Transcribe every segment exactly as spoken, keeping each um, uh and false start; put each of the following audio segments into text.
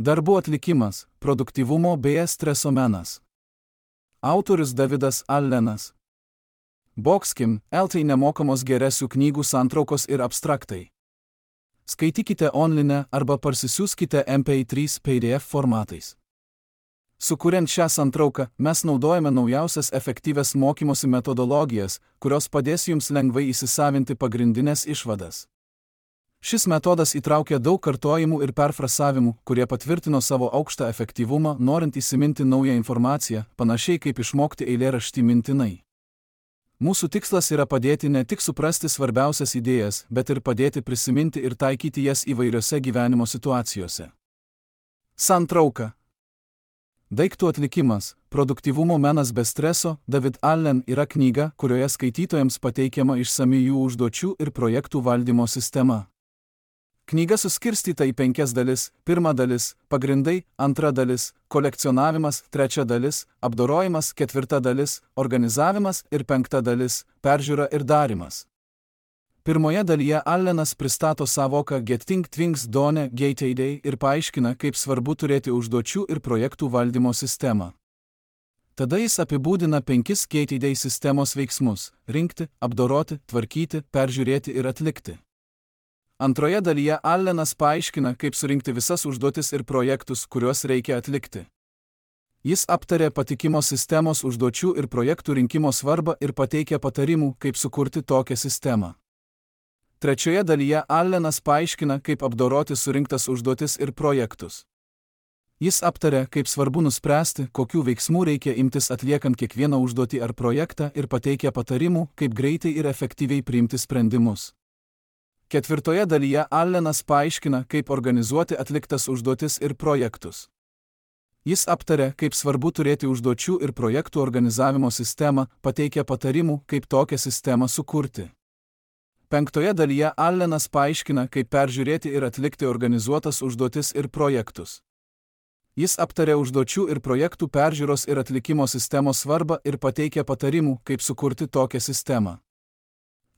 Darbų atlikimas, produktyvumo bei streso menas. Autorius Davidas Allenas. Boxkim, L T nemokamos geresių knygų santraukos ir abstraktai. Skaitykite online arba parsisiųskite M P trys P D F formatais. Sukuriant šią santrauką, mes naudojame naujausias efektyvias mokymosi metodologijas, kurios padės jums lengvai įsisavinti pagrindinės išvadas. Šis metodas įtraukia daug kartojimų ir perfrasavimų, kurie patvirtino savo aukštą efektyvumą, norint įsiminti naują informaciją, panašiai kaip išmokti eilėraštį mintinai. Mūsų tikslas yra padėti ne tik suprasti svarbiausias idėjas, bet ir padėti prisiminti ir taikyti jas įvairiose gyvenimo situacijose. Santrauka. Daiktų atlikimas, produktyvumo menas be streso, David Allen yra knyga, kurioje skaitytojams pateikiama išsami jų užduočių ir projektų valdymo sistema. Knyga suskirstyta į penkias dalis: pirma dalis – pagrindai, antra dalis – kolekcionavimas, trečia dalis – apdorojimas, ketvirta dalis – organizavimas ir penkta dalis – peržiūra ir darymas. Pirmoje dalyje Allenas pristato savoką Getting Things Done G T D ir paaiškina, kaip svarbu turėti užduočių ir projektų valdymo sistemą. Tada jis apibūdina penkis G T D sistemos veiksmus – rinkti, apdoroti, tvarkyti, peržiūrėti ir atlikti. Antroje dalyje Allenas paaiškina, kaip surinkti visas užduotis ir projektus, kuriuos reikia atlikti. Jis aptarė patikimos sistemos užduočių ir projektų rinkimo svarbą ir pateikia patarimų, kaip sukurti tokią sistemą. Trečioje dalyje Allenas paaiškina, kaip apdoroti surinktas užduotis ir projektus. Jis aptarė, kaip svarbu nuspręsti, kokių veiksmų reikia imtis atliekant kiekvieną užduotį ar projektą ir pateikia patarimų, kaip greitai ir efektyviai priimti sprendimus. Ketvirtoje dalyje Allenas paaiškina, kaip organizuoti atliktas užduotis ir projektus. Jis aptarė, kaip svarbu turėti užduočių ir projektų organizavimo sistemą, pateikia patarimų, kaip tokią sistemą sukurti. Penktoje dalyje Allenas paaiškina, kaip peržiūrėti ir atlikti organizuotas užduotis ir projektus. Jis aptarė užduočių ir projektų peržiūros ir atlikimo sistemos svarbą ir pateikia patarimų, kaip sukurti tokią sistemą.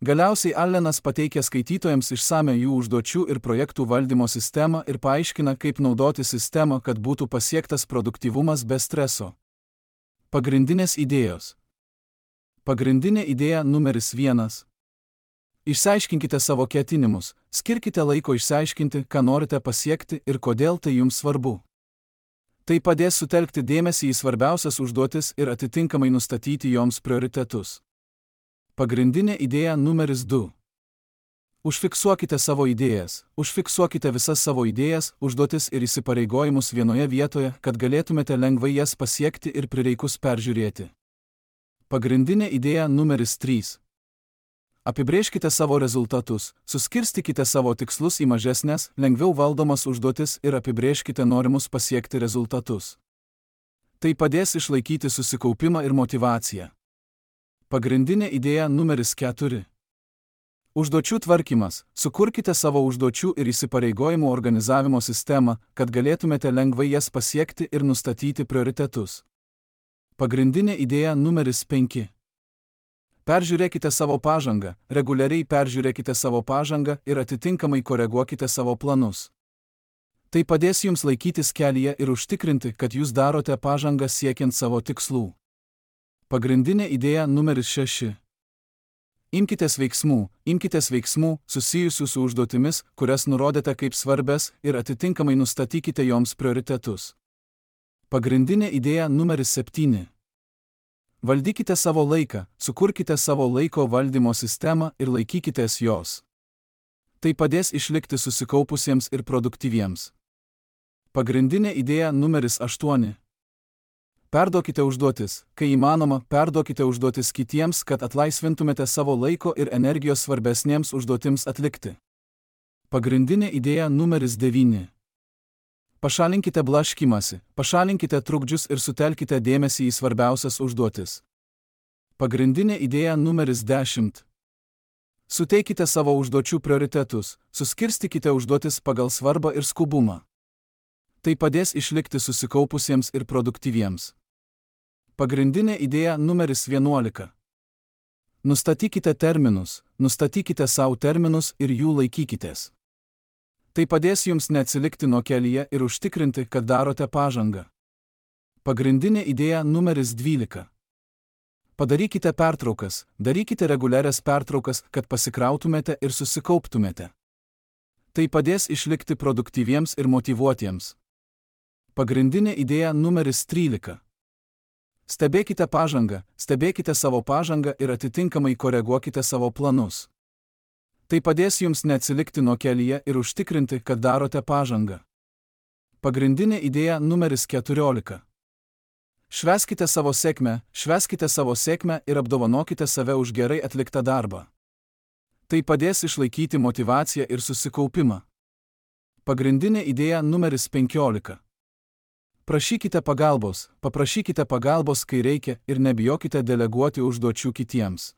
Galiausiai Allenas pateikia skaitytojams išsame jų užduočių ir projektų valdymo sistemą ir paaiškina, kaip naudoti sistemą, kad būtų pasiektas produktyvumas be streso. Pagrindinės idėjos. Pagrindinė idėja numeris vienas. Išsiaiškinkite savo ketinimus, skirkite laiko išsiaiškinti, ką norite pasiekti ir kodėl tai jums svarbu. Tai padės sutelkti dėmesį į svarbiausias užduotis ir atitinkamai nustatyti joms prioritetus. Pagrindinė idėja numeris du. Užfiksuokite savo idėjas, užfiksuokite visas savo idėjas, užduotis ir įsipareigojimus vienoje vietoje, kad galėtumėte lengvai jas pasiekti ir prireikus peržiūrėti. Pagrindinė idėja numeris trys. Apibrėžkite savo rezultatus, suskirstykite savo tikslus į mažesnės, lengviau valdomas užduotis ir apibrėžkite norimus pasiekti rezultatus. Tai padės išlaikyti susikaupimą ir motyvaciją. Pagrindinė idėja numeris keturi. Užduočių tvarkymas. Sukurkite savo užduočių ir įsipareigojimų organizavimo sistemą, kad galėtumėte lengvai jas pasiekti ir nustatyti prioritetus. Pagrindinė idėja numeris penki. Peržiūrėkite savo pažangą, reguliariai peržiūrėkite savo pažangą ir atitinkamai koreguokite savo planus. Tai padės jums laikytis kelyje ir užtikrinti, kad jūs darote pažangą siekiant savo tikslų. Pagrindinė idėja numeris šeši. Imkitės veiksmų, imkitės veiksmų susijusių su užduotimis, kurias nurodėte kaip svarbias ir atitinkamai nustatykite joms prioritetus. Pagrindinė idėja numeris septyni. Valdykite savo laiką, sukurkite savo laiko valdymo sistemą ir laikykitės jos. Tai padės išlikti susikaupusiems ir produktyviems. Pagrindinė idėja numeris aštuoni. Perduokite užduotis, kai įmanoma, perduokite užduotis kitiems, kad atlaisvintumėte savo laiko ir energijos svarbesniems užduotims atlikti. Pagrindinė idėja numeris devyni. Pašalinkite blaškymąsi, pašalinkite trukdžius ir sutelkite dėmesį į svarbiausias užduotis. Pagrindinė idėja numeris dešimt. Suteikite savo užduočių prioritetus, suskirstykite užduotis pagal svarbą ir skubumą. Tai padės išlikti susikaupusiems ir produktyviems. Pagrindinė idėja numeris vienuolika. Nustatykite terminus, nustatykite savo terminus ir jų laikykitės. Tai padės jums neatsilikti nuo kelyje ir užtikrinti, kad darote pažangą. Pagrindinė idėja numeris dvylika. Padarykite pertraukas, darykite reguliarias pertraukas, kad pasikrautumėte ir susikauptumėte. Tai padės išlikti produktyviems ir motyvuotiems. Pagrindinė idėja numeris trylika. Stebėkite pažangą, stebėkite savo pažangą ir atitinkamai koreguokite savo planus. Tai padės jums neatsilikti nuo kelyje ir užtikrinti, kad darote pažangą. Pagrindinė idėja numeris keturiolika. Švęskite savo sėkmę, švęskite savo sėkmę ir apdovanokite save už gerai atliktą darbą. Tai padės išlaikyti motyvaciją ir susikaupimą. Pagrindinė idėja numeris penkiolika. Prašykite pagalbos, paprašykite pagalbos, kai reikia, ir nebijokite deleguoti užduočių kitiems.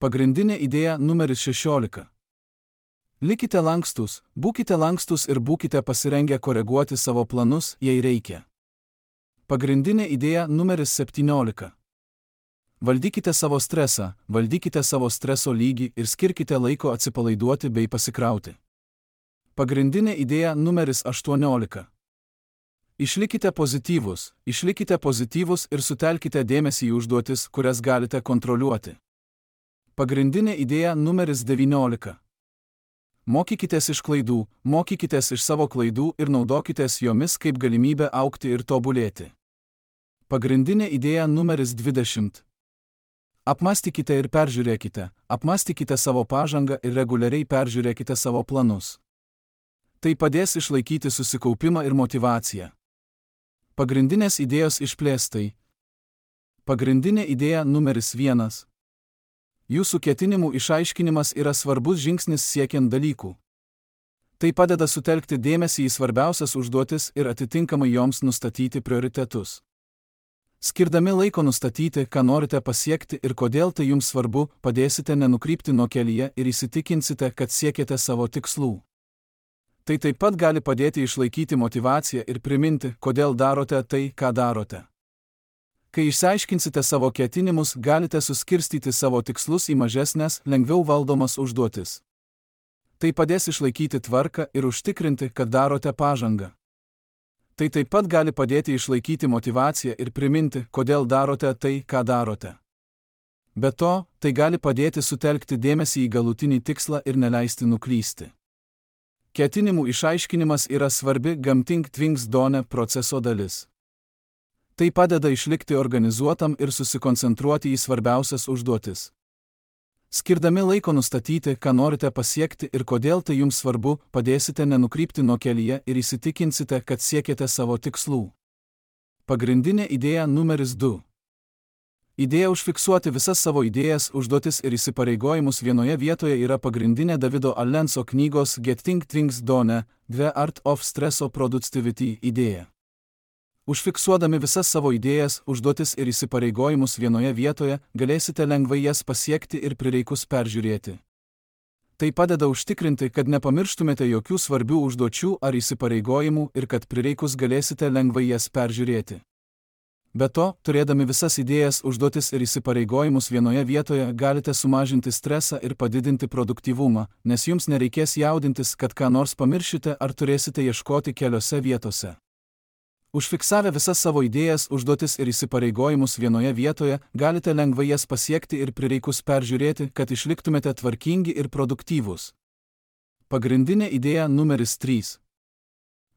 Pagrindinė idėja numeris šešiolika. Likite lankstus, būkite lankstus ir būkite pasirengę koreguoti savo planus, jei reikia. Pagrindinė idėja numeris septyniolika. Valdykite savo stresą, valdykite savo streso lygį ir skirkite laiko atsipalaiduoti bei pasikrauti. Pagrindinė idėja numeris aštuoniolika. Išlikite pozityvus, išlikite pozityvus ir sutelkite dėmesį į užduotis, kurias galite kontroliuoti. Pagrindinė idėja numeris devyniolika. Mokykitės iš klaidų, mokykitės iš savo klaidų ir naudokitės jomis kaip galimybę augti ir tobulėti. Pagrindinė idėja numeris dvidešimt. Apmąstykite ir peržiūrėkite, apmąstykite savo pažangą ir reguliariai peržiūrėkite savo planus. Tai padės išlaikyti susikaupimą ir motyvaciją. Pagrindinės idėjos išplėstai. Pagrindinė idėja numeris vienas. Jūsų ketinimų išaiškinimas yra svarbus žingsnis siekiant dalykų. Tai padeda sutelkti dėmesį į svarbiausias užduotis ir atitinkamai joms nustatyti prioritetus. Skirdami laiko nustatyti, ką norite pasiekti ir kodėl tai jums svarbu, padėsite nenukrypti nuo kelyje ir įsitikinsite, kad siekiate savo tikslų. Tai taip pat gali padėti išlaikyti motyvaciją ir priminti, kodėl darote tai, ką darote. Kai išsiaiškinsite savo ketinimus, galite suskirstyti savo tikslus į mažesnes, lengviau valdomas užduotis. Tai padės išlaikyti tvarką ir užtikrinti, kad darote pažangą. Tai taip pat gali padėti išlaikyti motyvaciją ir priminti, kodėl darote tai, ką darote. Be to, tai gali padėti sutelkti dėmesį į galutinį tikslą ir neleisti nuklysti. Ketinimų išaiškinimas yra svarbi Gamting Things Done proceso dalis. Tai padeda išlikti organizuotam ir susikoncentruoti į svarbiausias užduotis. Skirdami laiko nustatyti, ką norite pasiekti ir kodėl tai jums svarbu, padėsite nenukrypti nuo kelyje ir įsitikinsite, kad siekiate savo tikslų. Pagrindinė idėja numeris du. Idėja užfiksuoti visas savo idėjas, užduotis ir įsipareigojimus vienoje vietoje yra pagrindinė Davido Allenso knygos Getting Things Done, The Art of Stress Productivity idėja. Užfiksuodami visas savo idėjas, užduotis ir įsipareigojimus vienoje vietoje, galėsite lengvai jas pasiekti ir prireikus peržiūrėti. Tai padeda užtikrinti, kad nepamirštumėte jokių svarbių užduočių ar įsipareigojimų ir kad prireikus galėsite lengvai jas peržiūrėti. Be to, turėdami visas idėjas, užduotis ir įsipareigojimus vienoje vietoje, galite sumažinti stresą ir padidinti produktyvumą, nes jums nereikės jaudintis, kad ką nors pamiršite ar turėsite ieškoti keliose vietose. Užfiksavę visas savo idėjas, užduotis ir įsipareigojimus vienoje vietoje, galite lengvai jas pasiekti ir prireikus peržiūrėti, kad išliktumėte tvarkingi ir produktyvūs. Pagrindinė idėja numeris trys.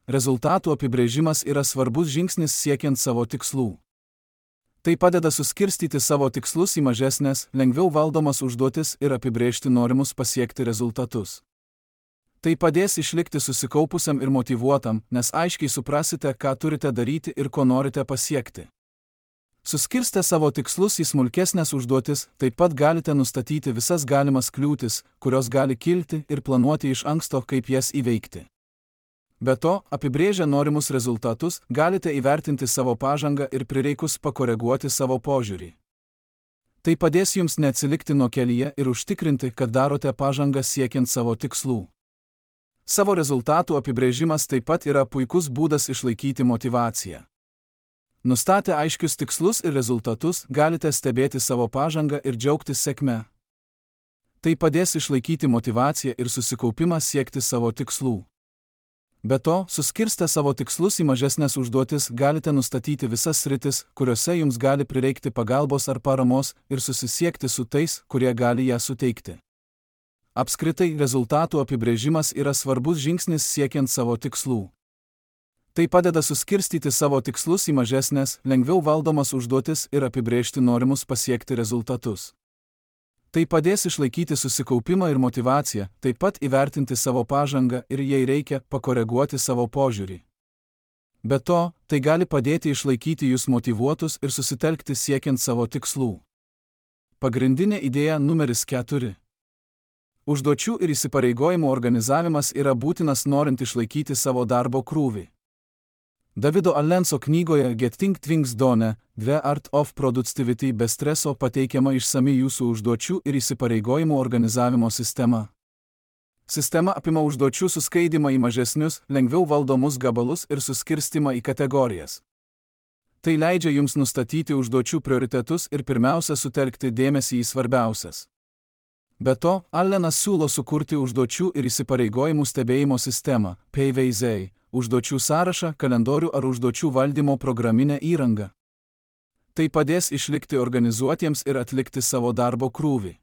Rezultatų apibrėžimas yra svarbus žingsnis siekiant savo tikslų. Tai padeda suskirstyti savo tikslus į mažesnes, lengviau valdomas užduotis ir apibrėžti norimus pasiekti rezultatus. Tai padės išlikti susikaupusiam ir motyvuotam, nes aiškiai suprasite, ką turite daryti ir ko norite pasiekti. Suskirstę savo tikslus į smulkesnės užduotis, taip pat galite nustatyti visas galimas kliūtis, kurios gali kilti, ir planuoti iš anksto, kaip jas įveikti. Be to, apibrėžę norimus rezultatus, galite įvertinti savo pažangą ir prireikus pakoreguoti savo požiūrį. Tai padės jums neatsilikti nuo kelyje ir užtikrinti, kad darote pažangą siekiant savo tikslų. Savo rezultatų apibrėžimas taip pat yra puikus būdas išlaikyti motyvaciją. Nustatę aiškius tikslus ir rezultatus, galite stebėti savo pažangą ir džiaugtis sėkme. Tai padės išlaikyti motyvaciją ir susikaupimą siekti savo tikslų. Be to, suskirstę savo tikslus į mažesnės užduotis, galite nustatyti visas sritis, kuriuose jums gali prireikti pagalbos ar paramos ir susisiekti su tais, kurie gali ją suteikti. Apskritai, rezultatų apibrėžimas yra svarbus žingsnis siekiant savo tikslų. Tai padeda suskirstyti savo tikslus į mažesnės, lengviau valdomas užduotis ir apibrėžti norimus pasiekti rezultatus. Tai padės išlaikyti susikaupimą ir motyvaciją, taip pat įvertinti savo pažangą ir jei reikia, pakoreguoti savo požiūrį. Be to, tai gali padėti išlaikyti jūs motyvuotus ir susitelkti siekiant savo tikslų. Pagrindinė idėja numeris keturi. Užduočių ir įsipareigojimų organizavimas yra būtinas norint išlaikyti savo darbo krūvį. Davido Allenso knygoje Getting Things Done, The Art of Productivity be streso pateikiama išsami jūsų užduočių ir įsipareigojimų organizavimo sistema. Sistema apima užduočių suskaidymą į mažesnius, lengviau valdomus gabalus ir suskirstimą į kategorijas. Tai leidžia jums nustatyti užduočių prioritetus ir pirmiausia sutelkti dėmesį į svarbiausias. Be to, Allenas siūlo sukurti užduočių ir įsipareigojimų stebėjimo sistemą, P V Z, užduočių sąrašą, kalendorių ar užduočių valdymo programinę įrangą. Tai padės išlikti organizuotiems ir atlikti savo darbo krūvį.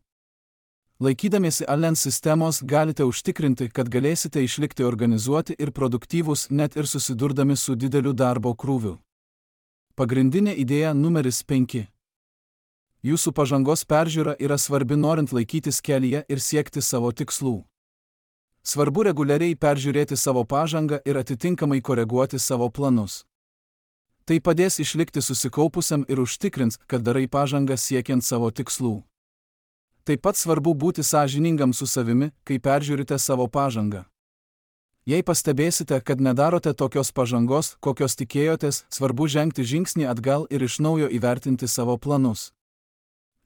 Laikydamiesi Allen sistemos galite užtikrinti, kad galėsite išlikti organizuoti ir produktyvūs net ir susidurdami su dideliu darbo krūviu. Pagrindinė idėja numeris penki. Jūsų pažangos peržiūra yra svarbi norint laikytis kelyje ir siekti savo tikslų. Svarbu reguliariai peržiūrėti savo pažangą ir atitinkamai koreguoti savo planus. Tai padės išlikti susikaupusiam ir užtikrins, kad darai pažangą siekiant savo tikslų. Taip pat svarbu būti sąžiningam su savimi, kai peržiūrite savo pažangą. Jei pastebėsite, kad nedarote tokios pažangos, kokios tikėjotės, svarbu žengti žingsnį atgal ir iš naujo įvertinti savo planus.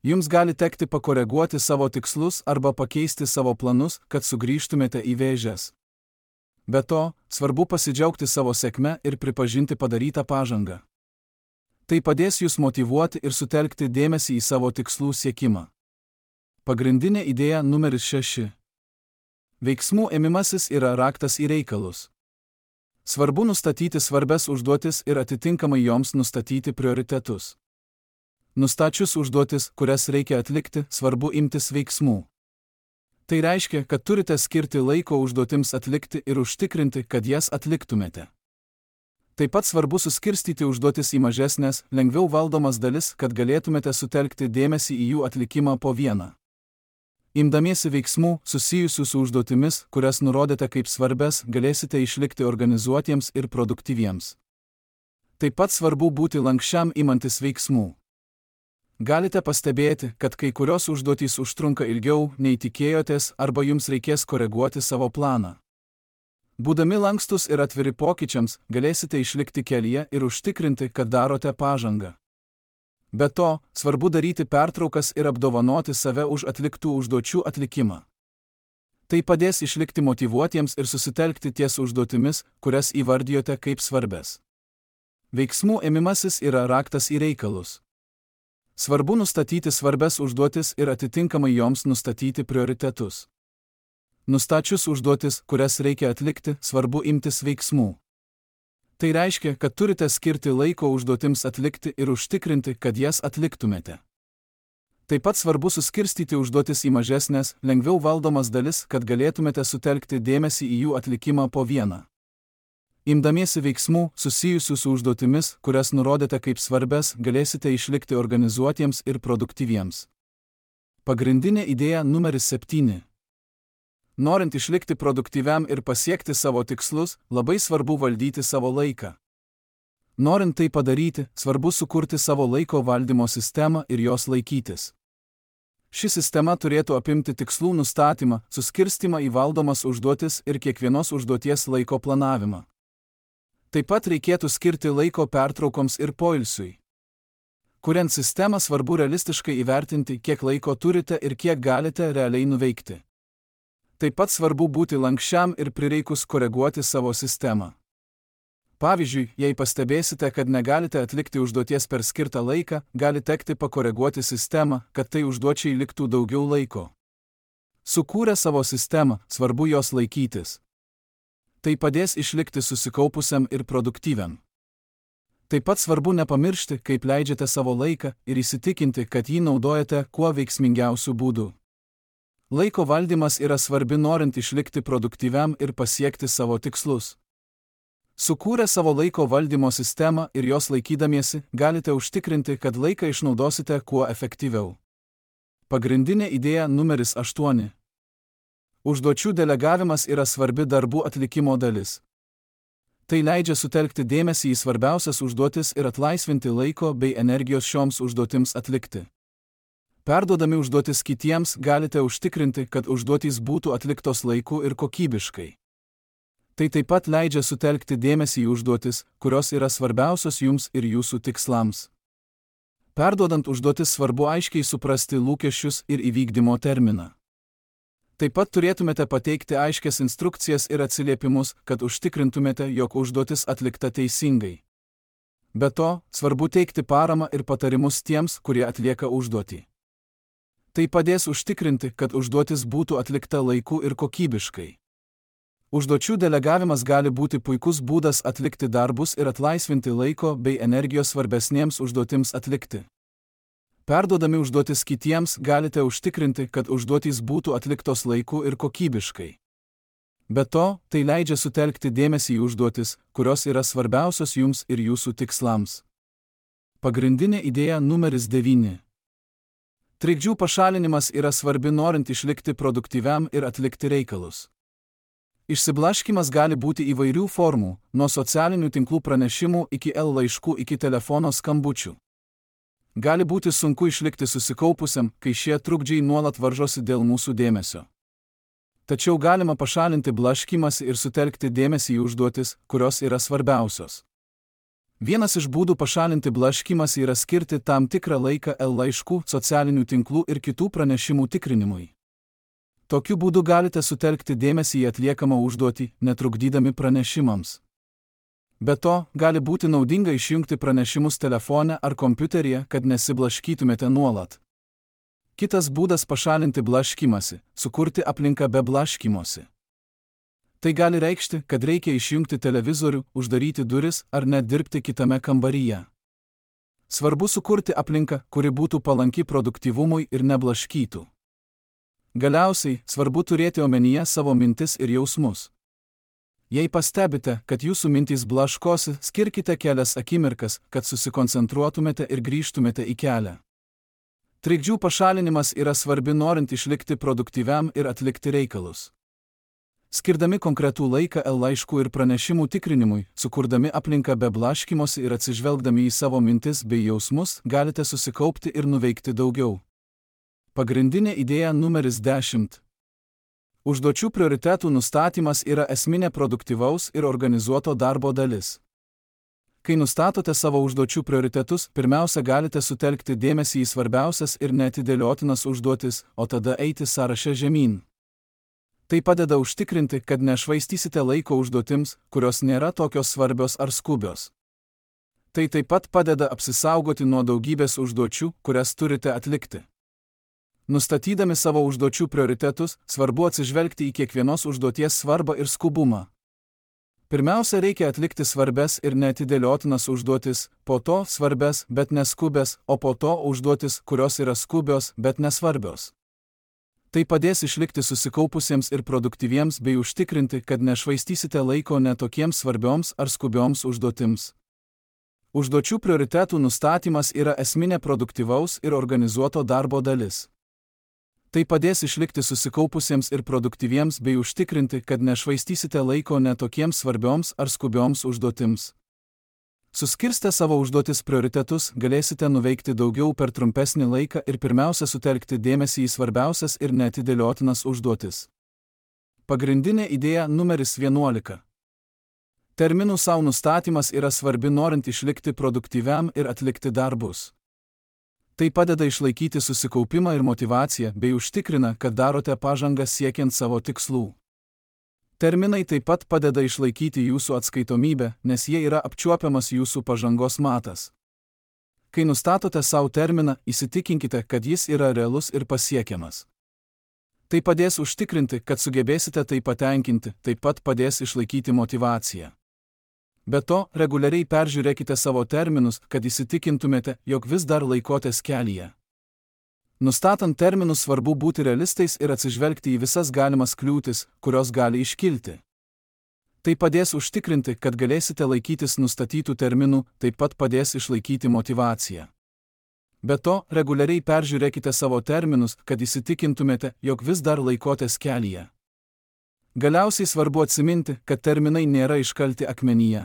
Jums gali tekti pakoreguoti savo tikslus arba pakeisti savo planus, kad sugrįžtumėte į vėžes. Be to, svarbu pasidžiaugti savo sėkme ir pripažinti padarytą pažangą. Tai padės jūs motyvuoti ir sutelkti dėmesį į savo tikslų siekimą. Pagrindinė idėja numeris šeši. Veiksmų ėmimasis yra raktas į reikalus. Svarbu nustatyti svarbias užduotis ir atitinkamai joms nustatyti prioritetus. Nustačius užduotis, kurias reikia atlikti, svarbu imtis veiksmų. Tai reiškia, kad turite skirti laiko užduotims atlikti ir užtikrinti, kad jas atliktumėte. Taip pat svarbu suskirstyti užduotis į mažesnės, lengviau valdomas dalis, kad galėtumėte sutelkti dėmesį į jų atlikimą po vieną. Imdamiesi veiksmų, susijusių su užduotimis, kurias nurodėte kaip svarbias, galėsite išlikti organizuotiems ir produktyviems. Taip pat svarbu būti lankščiam imantis veiksmų. Galite pastebėti, kad kai kurios užduotys užtrunka ilgiau, nei tikėjotės, arba jums reikės koreguoti savo planą. Būdami lankstus ir atviri pokyčiams, galėsite išlikti kelyje ir užtikrinti, kad darote pažangą. Be to, svarbu daryti pertraukas ir apdovanoti save už atliktų užduočių atlikimą. Tai padės išlikti motyvuotiems ir susitelkti ties užduotimis, kurias įvardijote kaip svarbes. Veiksmų ėmimasis yra raktas į reikalus. Svarbu nustatyti svarbias užduotis ir atitinkamai joms nustatyti prioritetus. Nustačius užduotis, kurias reikia atlikti, svarbu imtis veiksmų. Tai reiškia, kad turite skirti laiko užduotims atlikti ir užtikrinti, kad jas atliktumėte. Taip pat svarbu suskirstyti užduotis į mažesnės, lengviau valdomas dalis, kad galėtumėte sutelkti dėmesį į jų atlikimą po vieną. Imdamiesi veiksmų, susijusių su užduotimis, kurias nurodėte kaip svarbes, galėsite išlikti organizuotiems ir produktyviems. Pagrindinė idėja numeris septyni. Norint išlikti produktyviam ir pasiekti savo tikslus, labai svarbu valdyti savo laiką. Norint tai padaryti, svarbu sukurti savo laiko valdymo sistemą ir jos laikytis. Ši sistema turėtų apimti tikslų nustatymą, suskirstimą į valdomas užduotis ir kiekvienos užduoties laiko planavimą. Taip pat reikėtų skirti laiko pertraukoms ir poilsiui. Kuriant sistemą, svarbu realistiškai įvertinti, kiek laiko turite ir kiek galite realiai nuveikti. Taip pat svarbu būti lankščiam ir prireikus koreguoti savo sistemą. Pavyzdžiui, jei pastebėsite, kad negalite atlikti užduoties per skirtą laiką, gali tekti pakoreguoti sistemą, kad tai užduočiai liktų daugiau laiko. Sukūrę savo sistemą, svarbu jos laikytis. Tai padės išlikti susikaupusiam ir produktyviam. Taip pat svarbu nepamiršti, kaip leidžiate savo laiką ir įsitikinti, kad jį naudojate kuo veiksmingiausių būdų. Laiko valdymas yra svarbi norint išlikti produktyviam ir pasiekti savo tikslus. Sukūrę savo laiko valdymo sistemą ir jos laikydamiesi, galite užtikrinti, kad laiką išnaudosite kuo efektyviau. Pagrindinė idėja numeris aštuoni. Užduočių delegavimas yra svarbi darbų atlikimo dalis. Tai leidžia sutelkti dėmesį į svarbiausias užduotis ir atlaisvinti laiko bei energijos šioms užduotims atlikti. Perduodami užduotis kitiems galite užtikrinti, kad užduotys būtų atliktos laiku ir kokybiškai. Tai taip pat leidžia sutelkti dėmesį į užduotis, kurios yra svarbiausios jums ir jūsų tikslams. Perduodant užduotis svarbu aiškiai suprasti lūkesčius ir įvykdymo terminą. Taip pat turėtumėte pateikti aiškias instrukcijas ir atsiliepimus, kad užtikrintumėte, jog užduotis atlikta teisingai. Be to, svarbu teikti paramą ir patarimus tiems, kurie atlieka užduotį. Tai padės užtikrinti, kad užduotis būtų atlikta laiku ir kokybiškai. Užduočių delegavimas gali būti puikus būdas atlikti darbus ir atlaisvinti laiko bei energijos svarbesnėms užduotims atlikti. Perduodami užduotis kitiems galite užtikrinti, kad užduotys būtų atliktos laiku ir kokybiškai. Be to, tai leidžia sutelkti dėmesį į užduotis, kurios yra svarbiausios jums ir jūsų tikslams. Pagrindinė idėja numeris devyni. Trikdžių pašalinimas yra svarbi norint išlikti produktyviam ir atlikti reikalus. Išsiblaškymas gali būti įvairių formų, nuo socialinių tinklų pranešimų iki el laiškų iki telefono skambučių. Gali būti sunku išlikti susikaupusiam, kai šie trukdžiai nuolat varžosi dėl mūsų dėmesio. Tačiau galima pašalinti blaškymąsi ir sutelkti dėmesį į užduotis, kurios yra svarbiausios. Vienas iš būdų pašalinti blaškymąsi yra skirti tam tikrą laiką el laiškų, socialinių tinklų ir kitų pranešimų tikrinimui. Tokiu būdu galite sutelkti dėmesį į atliekamą užduotį, netrukdydami pranešimams. Be to, gali būti naudinga išjungti pranešimus telefone ar kompiuteryje, kad nesiblaškytumėte nuolat. Kitas būdas pašalinti blaškymąsi – sukurti aplinką be blaškymosi. Tai gali reikšti, kad reikia išjungti televizorių, uždaryti duris ar net dirbti kitame kambaryje. Svarbu sukurti aplinką, kuri būtų palanki produktyvumui ir neblaškytų. Galiausiai, svarbu turėti omenyje savo mintis ir jausmus. Jei pastebite, kad jūsų mintys blaškosi, skirkite kelias akimirkas, kad susikoncentruotumėte ir grįžtumėte į kelią. Trikdžių pašalinimas yra svarbi norint išlikti produktyviam ir atlikti reikalus. Skirdami konkretų laiką el laiškų ir pranešimų tikrinimui, sukurdami aplinką be blaškymosi ir atsižvelgdami į savo mintis bei jausmus, galite susikaupti ir nuveikti daugiau. Pagrindinė idėja numeris dešimt. Užduočių prioritetų nustatymas yra esminė produktyvaus ir organizuoto darbo dalis. Kai nustatote savo užduočių prioritetus, pirmiausia galite sutelkti dėmesį į svarbiausias ir neatidėliotinas užduotis, o tada eiti sąraše žemyn. Tai padeda užtikrinti, kad nešvaistysite laiko užduotims, kurios nėra tokios svarbios ar skubios. Tai taip pat padeda apsisaugoti nuo daugybės užduočių, kurias turite atlikti. Nustatydami savo užduočių prioritetus, svarbu atsižvelgti į kiekvienos užduoties svarbą ir skubumą. Pirmiausia, reikia atlikti svarbes ir neatidėliotinas užduotis, po to svarbes, bet neskubės, o po to užduotis, kurios yra skubios, bet nesvarbios. Tai padės išlikti susikaupusiems ir produktyviems bei užtikrinti, kad nešvaistysite laiko netokiems svarbioms ar skubioms užduotims. Užduočių prioritetų nustatymas yra esminė produktyvaus ir organizuoto darbo dalis. Tai padės išlikti susikaupusiems ir produktyviems bei užtikrinti, kad nešvaistysite laiko netokiems svarbioms ar skubioms užduotims. Suskirstę savo užduotis prioritetus, galėsite nuveikti daugiau per trumpesnį laiką ir pirmiausia sutelkti dėmesį į svarbiausias ir neatidėliotinas užduotis. Pagrindinė idėja numeris vienuolika. Terminų sau nustatymas yra svarbi norint išlikti produktyviam ir atlikti darbus. Tai padeda išlaikyti susikaupimą ir motyvaciją bei užtikrina, kad darote pažangą siekiant savo tikslų. Terminai taip pat padeda išlaikyti jūsų atskaitomybę, nes jie yra apčiuopiamas jūsų pažangos matas. Kai nustatote savo terminą, įsitikinkite, kad jis yra realus ir pasiekiamas. Tai padės užtikrinti, kad sugebėsite tai patenkinti, taip pat padės išlaikyti motyvaciją. Be to, reguliariai peržiūrėkite savo terminus, kad įsitikintumėte, jog vis dar laikotės kelyje. Nustatant terminus svarbu būti realistais ir atsižvelgti į visas galimas kliūtis, kurios gali iškilti. Tai padės užtikrinti, kad galėsite laikytis nustatytų terminų, taip pat padės išlaikyti motyvaciją. Be to, reguliariai peržiūrėkite savo terminus, kad įsitikintumėte, jog vis dar laikotės kelyje. Galiausiai svarbu atsiminti, kad terminai nėra iškalti akmenyje.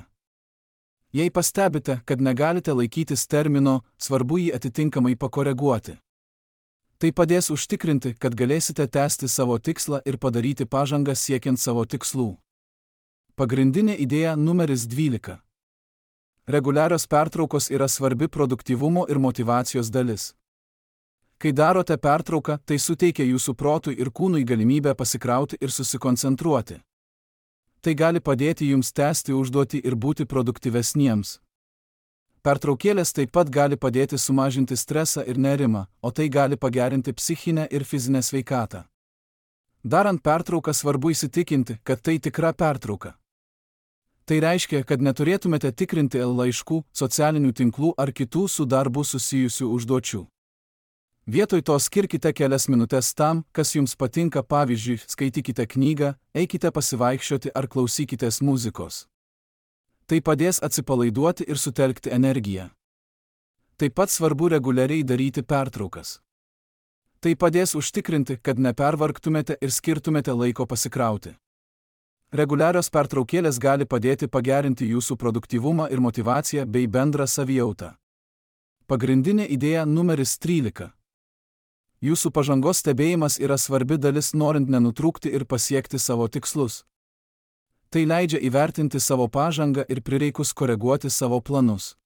Jei pastebite, kad negalite laikytis termino, svarbu jį atitinkamai pakoreguoti. Tai padės užtikrinti, kad galėsite tęsti savo tikslą ir padaryti pažangą siekiant savo tikslų. Pagrindinė idėja numeris dvylika. Reguliarios pertraukos yra svarbi produktyvumo ir motyvacijos dalis. Kai darote pertrauką, tai suteikia jūsų protui ir kūnui galimybę pasikrauti ir susikoncentruoti. Tai gali padėti jums tęsti užduotį ir būti produktyvesniems. Pertraukėlės taip pat gali padėti sumažinti stresą ir nerimą, o tai gali pagerinti psichinę ir fizinę sveikatą. Darant pertrauką svarbu įsitikinti, kad tai tikra pertrauka. Tai reiškia, kad neturėtumėte tikrinti laiškų, socialinių tinklų ar kitų su darbu susijusių užduočių. Vietoj to skirkite kelias minutės tam, kas jums patinka, pavyzdžiui, skaitykite knygą, eikite pasivaikščioti ar klausykitės muzikos. Tai padės atsipalaiduoti ir sutelkti energiją. Taip pat svarbu reguliariai daryti pertraukas. Tai padės užtikrinti, kad nepervargtumėte ir skirtumėte laiko pasikrauti. Reguliarios pertraukėlės gali padėti pagerinti jūsų produktyvumą ir motyvaciją bei bendrą savijautą. Pagrindinė idėja numeris trylika. Jūsų pažangos stebėjimas yra svarbi dalis, norint nenutrūkti ir pasiekti savo tikslus. Tai leidžia įvertinti savo pažangą ir prireikus koreguoti savo planus.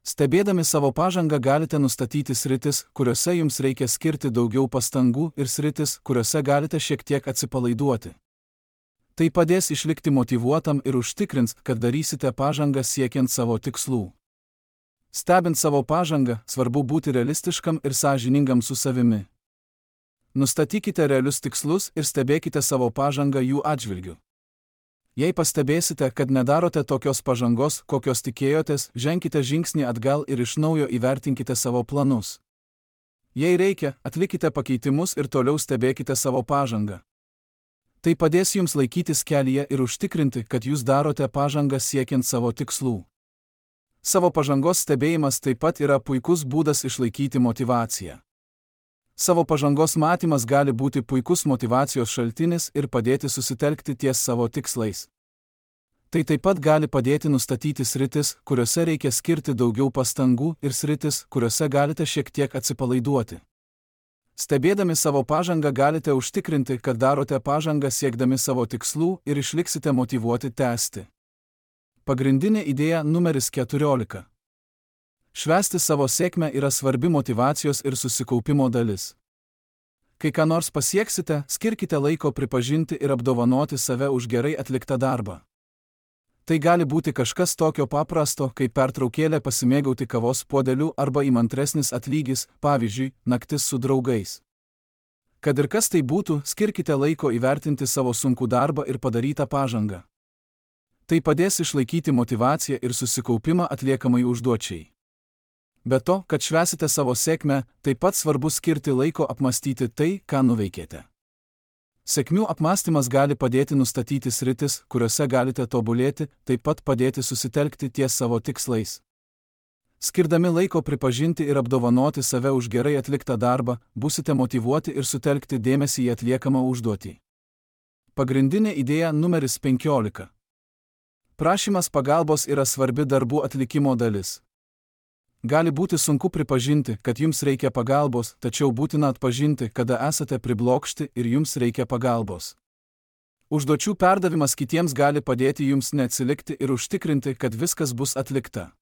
Stebėdami savo pažangą galite nustatyti sritis, kuriuose jums reikia skirti daugiau pastangų, ir sritis, kuriuose galite šiek tiek atsipalaiduoti. Tai padės išlikti motyvuotam ir užtikrins, kad darysite pažangą siekiant savo tikslų. Stebint savo pažangą, svarbu būti realistiškam ir sąžiningam su savimi. Nustatykite realius tikslus ir stebėkite savo pažangą jų atžvilgiu. Jei pastebėsite, kad nedarote tokios pažangos, kokios tikėjotės, ženkite žingsnį atgal ir iš naujo įvertinkite savo planus. Jei reikia, atlikite pakeitimus ir toliau stebėkite savo pažangą. Tai padės jums laikytis kelyje ir užtikrinti, kad jūs darote pažangą siekiant savo tikslų. Savo pažangos stebėjimas taip pat yra puikus būdas išlaikyti motyvaciją. Savo pažangos matymas gali būti puikus motyvacijos šaltinis ir padėti susitelkti ties savo tikslais. Tai taip pat gali padėti nustatyti sritis, kuriuose reikia skirti daugiau pastangų, ir sritis, kuriuose galite šiek tiek atsipalaiduoti. Stebėdami savo pažangą galite užtikrinti, kad darote pažangą siekdami savo tikslų ir išliksite motyvuoti tęsti. Pagrindinė idėja numeris keturiolika. Švęsti savo sėkmę yra svarbi motyvacijos ir susikaupimo dalis. Kai ką nors pasieksite, skirkite laiko pripažinti ir apdovanoti save už gerai atliktą darbą. Tai gali būti kažkas tokio paprasto, kaip pertraukėlė pasimėgauti kavos puodeliu arba įmantresnis atlygis, pavyzdžiui, naktis su draugais. Kad ir kas tai būtų, skirkite laiko įvertinti savo sunkų darbą ir padarytą pažangą. Tai padės išlaikyti motyvaciją ir susikaupimą atliekamai užduočiai. Be to, kad švęsite savo sėkmę, taip pat svarbu skirti laiko apmastyti tai, ką nuveikėte. Sėkmių apmąstymas gali padėti nustatyti sritis, kuriuose galite tobulėti, taip pat padėti susitelkti ties savo tikslais. Skirdami laiko pripažinti ir apdovanoti save už gerai atliktą darbą, būsite motyvuoti ir sutelkti dėmesį į atliekamą užduotį. Pagrindinė idėja numeris penkiolika. Prašymas pagalbos yra svarbi darbų atlikimo dalis. Gali būti sunku pripažinti, kad jums reikia pagalbos, tačiau būtina atpažinti, kada esate priblokšti ir jums reikia pagalbos. Užduočių perdavimas kitiems gali padėti jums neatsilikti ir užtikrinti, kad viskas bus atlikta.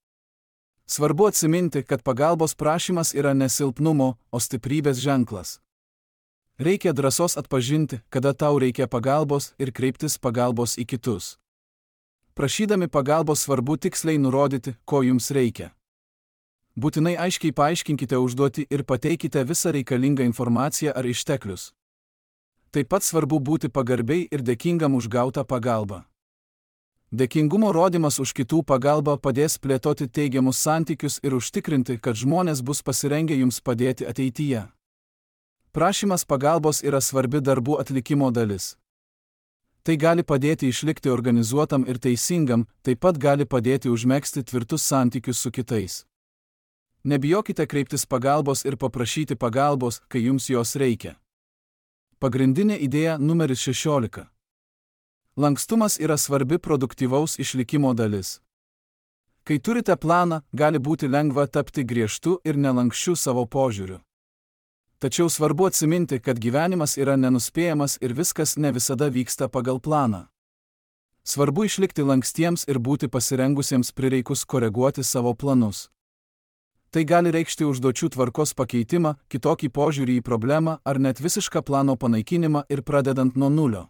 Svarbu atsiminti, kad pagalbos prašymas yra ne silpnumo, o stiprybės ženklas. Reikia drąsos atpažinti, kada tau reikia pagalbos ir kreiptis pagalbos į kitus. Prašydami pagalbos svarbu tiksliai nurodyti, ko jums reikia. Būtinai aiškiai paaiškinkite užduotį ir pateikite visą reikalingą informaciją ar išteklius. Taip pat svarbu būti pagarbiai ir dėkingam už gautą pagalbą. Dėkingumo rodymas už kitų pagalbą padės plėtoti teigiamus santykius ir užtikrinti, kad žmonės bus pasirengę jums padėti ateityje. Prašymas pagalbos yra svarbi darbų atlikimo dalis. Tai gali padėti išlikti organizuotam ir teisingam, taip pat gali padėti užmegzti tvirtus santykius su kitais. Nebijokite kreiptis pagalbos ir paprašyti pagalbos, kai jums jos reikia. Pagrindinė idėja numeris šešiolika. Lankstumas yra svarbi produktyvaus išlikimo dalis. Kai turite planą, gali būti lengva tapti griežtu ir nelankščiu savo požiūriu. Tačiau svarbu atsiminti, kad gyvenimas yra nenuspėjamas ir viskas ne visada vyksta pagal planą. Svarbu išlikti lankstiems ir būti pasirengusiems prireikus koreguoti savo planus. Tai gali reikšti užduočių tvarkos pakeitimą, kitokį požiūrį į problemą ar net visišką plano panaikinimą ir pradedant nuo nulio.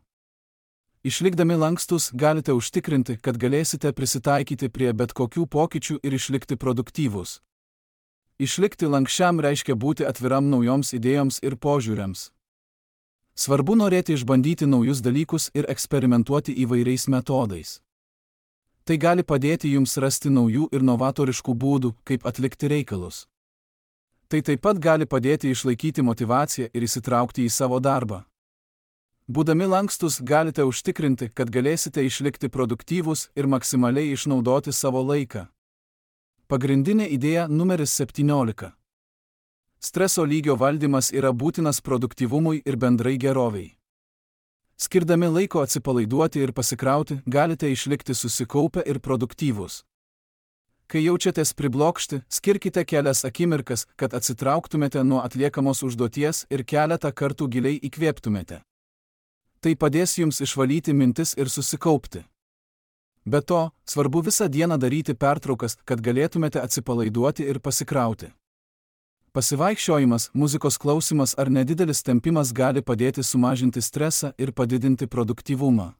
Išlikdami lankstus galite užtikrinti, kad galėsite prisitaikyti prie bet kokių pokyčių ir išlikti produktyvūs. Išlikti lankščiam reiškia būti atviram naujoms idėjoms ir požiūriams. Svarbu norėti išbandyti naujus dalykus ir eksperimentuoti įvairiais metodais. Tai gali padėti jums rasti naujų ir novatoriškų būdų, kaip atlikti reikalus. Tai taip pat gali padėti išlaikyti motyvaciją ir įsitraukti į savo darbą. Būdami lankstus galite užtikrinti, kad galėsite išlikti produktyvūs ir maksimaliai išnaudoti savo laiką. Pagrindinė idėja numeris septyniolika. Streso lygio valdymas yra būtinas produktyvumui ir bendrai geroviai. Skirdami laiko atsipalaiduoti ir pasikrauti, galite išlikti susikaupę ir produktyvūs. Kai jaučiatės priblokšti, skirkite kelias akimirkas, kad atsitrauktumėte nuo atliekamos užduoties ir keletą kartų giliai įkvėptumėte. Tai padės jums išvalyti mintis ir susikaupti. Be to, svarbu visą dieną daryti pertraukas, kad galėtumėte atsipalaiduoti ir pasikrauti. Pasivaikščiojimas, muzikos klausimas ar nedidelis tempimas gali padėti sumažinti stresą ir padidinti produktyvumą.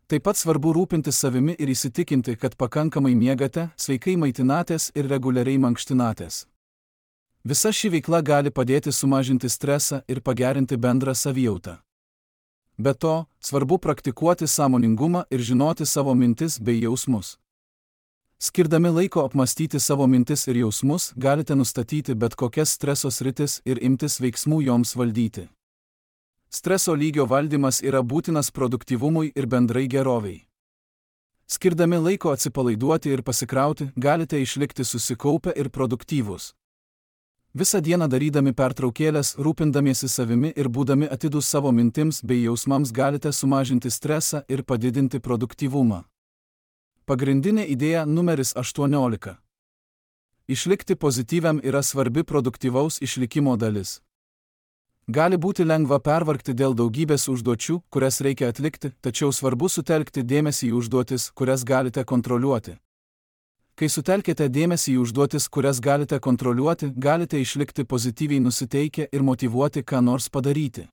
Taip pat svarbu rūpintis savimi ir įsitikinti, kad pakankamai miegate, sveikai maitinatės ir reguliariai mankštinatės. Visa ši veikla gali padėti sumažinti stresą ir pagerinti bendrą savijautą. Be to, svarbu praktikuoti sąmoningumą ir žinoti savo mintis bei jausmus. Skirdami laiko apmastyti savo mintis ir jausmus, galite nustatyti bet kokias streso sritis ir imtis veiksmų joms valdyti. Streso lygio valdymas yra būtinas produktyvumui ir bendrai geroviai. Skirdami laiko atsipalaiduoti ir pasikrauti, galite išlikti susikaupę ir produktyvūs. Visą dieną darydami pertraukėlės, rūpindamiesi savimi ir būdami atidūs savo mintims bei jausmams galite sumažinti stresą ir padidinti produktyvumą. Pagrindinė idėja numeris aštuoniolika. Išlikti pozityviam yra svarbi produktyvaus išlikimo dalis. Gali būti lengva pervargti dėl daugybės užduočių, kurias reikia atlikti, tačiau svarbu sutelkti dėmesį į užduotis, kurias galite kontroliuoti. Kai sutelkite dėmesį į užduotis, kurias galite kontroliuoti, galite išlikti pozityviai nusiteikę ir motyvuoti ką nors padaryti.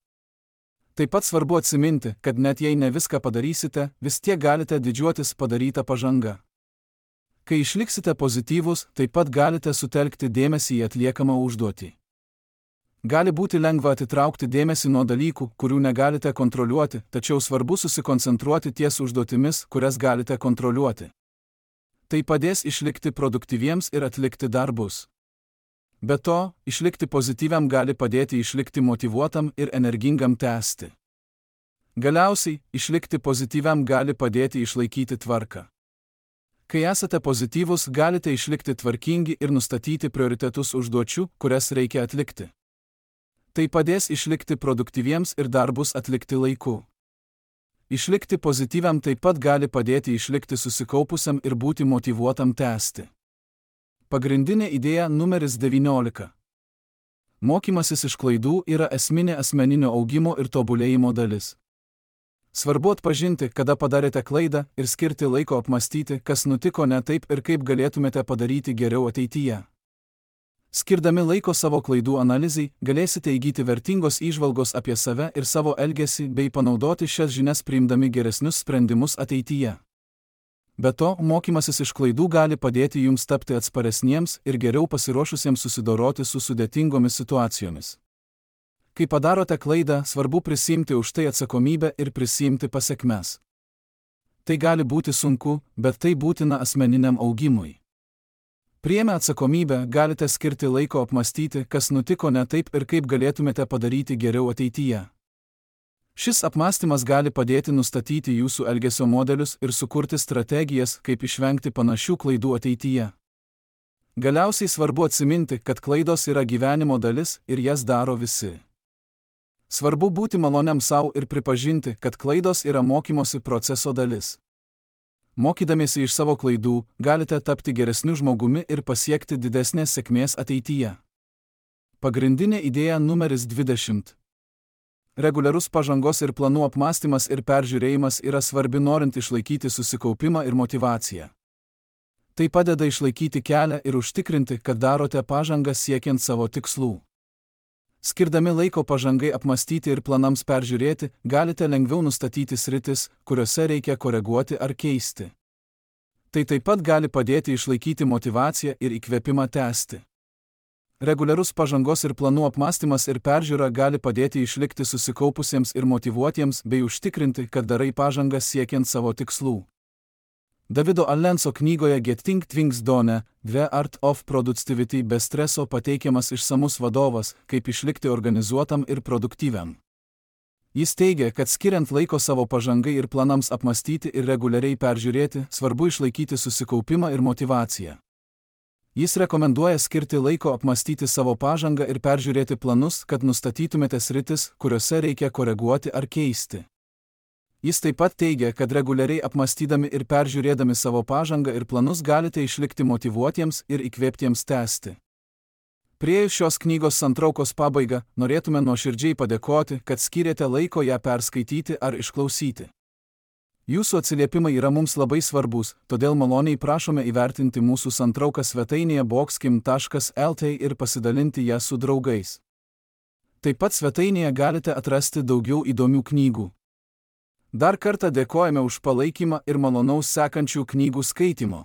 Taip pat svarbu atsiminti, kad net jei ne viską padarysite, vis tiek galite didžiuotis padarytą pažangą. Kai išliksite pozityvūs, taip pat galite sutelkti dėmesį į atliekamą užduotį. Gali būti lengva atitraukti dėmesį nuo dalykų, kurių negalite kontroliuoti, tačiau svarbu susikoncentruoti ties užduotimis, kurias galite kontroliuoti. Tai padės išlikti produktyviems ir atlikti darbus. Be to, išlikti pozityviam gali padėti išlikti motyvuotam ir energingam tęsti. Galiausiai, išlikti pozityviam gali padėti išlaikyti tvarką. Kai esate pozityvūs, galite išlikti tvarkingi ir nustatyti prioritetus užduočių, kurias reikia atlikti. Tai padės išlikti produktyviems ir darbus atlikti laiku. Išlikti pozityviam taip pat gali padėti išlikti susikaupusiam ir būti motyvuotam tęsti. Pagrindinė idėja numeris devyniolika. Mokymasis iš klaidų yra esminė asmeninio augimo ir tobulėjimo dalis. Svarbu atpažinti, kada padarėte klaidą ir skirti laiko apmastyti, kas nutiko ne taip ir kaip galėtumėte padaryti geriau ateityje. Skirdami laiko savo klaidų analizai, galėsite įgyti vertingos įžvalgos apie save ir savo elgesį bei panaudoti šias žinias priimdami geresnius sprendimus ateityje. Be to, mokymasis iš klaidų gali padėti jums tapti atsparesniems ir geriau pasiruošusiems susidoroti su sudėtingomis situacijomis. Kai padarote klaidą, svarbu prisiimti už tai atsakomybę ir prisiimti pasekmes. Tai gali būti sunku, bet tai būtina asmeniniam augimui. Priėmę atsakomybę, galite skirti laiko apmastyti, kas nutiko ne taip ir kaip galėtumėte padaryti geriau ateityje. Šis apmąstymas gali padėti nustatyti jūsų elgesio modelius ir sukurti strategijas, kaip išvengti panašių klaidų ateityje. Galiausiai svarbu atsiminti, kad klaidos yra gyvenimo dalis ir jas daro visi. Svarbu būti maloniam savo ir pripažinti, kad klaidos yra mokymosi proceso dalis. Mokydamiesi iš savo klaidų, galite tapti geresniu žmogumi ir pasiekti didesnės sėkmės ateityje. Pagrindinė idėja numeris dvidešimt. Reguliarus pažangos ir planų apmąstymas ir peržiūrėjimas yra svarbi norint išlaikyti susikaupimą ir motyvaciją. Tai padeda išlaikyti kelią ir užtikrinti, kad darote pažangą siekiant savo tikslų. Skirdami laiko pažangai apmąstyti ir planams peržiūrėti, galite lengviau nustatyti sritis, kuriuose reikia koreguoti ar keisti. Tai taip pat gali padėti išlaikyti motyvaciją ir įkvėpimą tęsti. Reguliarus pažangos ir planų apmąstymas ir peržiūra gali padėti išlikti susikaupusiems ir motyvuotiems bei užtikrinti, kad darai pažangą siekiant savo tikslų. Davido Allenso knygoje Getting Things Done, The Art of Productivity be streso pateikiamas išsamus vadovas, kaip išlikti organizuotam ir produktyviam. Jis teigia, kad skiriant laiko savo pažangai ir planams apmąstyti ir reguliariai peržiūrėti, svarbu išlaikyti susikaupimą ir motyvaciją. Jis rekomenduoja skirti laiko apmąstyti savo pažangą ir peržiūrėti planus, kad nustatytumėte sritis, kuriuose reikia koreguoti ar keisti. Jis taip pat teigia, kad reguliariai apmąstydami ir peržiūrėdami savo pažangą ir planus galite išlikti motyvuotiems ir įkvėptiems tęsti. Priėjus šios knygos santraukos pabaigą, norėtume nuoširdžiai padėkoti, kad skyrėte laiko ją perskaityti ar išklausyti. Jūsų atsiliepimai yra mums labai svarbus, todėl maloniai prašome įvertinti mūsų santrauką svetainėje boxkim taškas lt ir pasidalinti ją su draugais. Taip pat svetainėje galite atrasti daugiau įdomių knygų. Dar kartą dėkojame už palaikymą ir malonaus sekančių knygų skaitimo.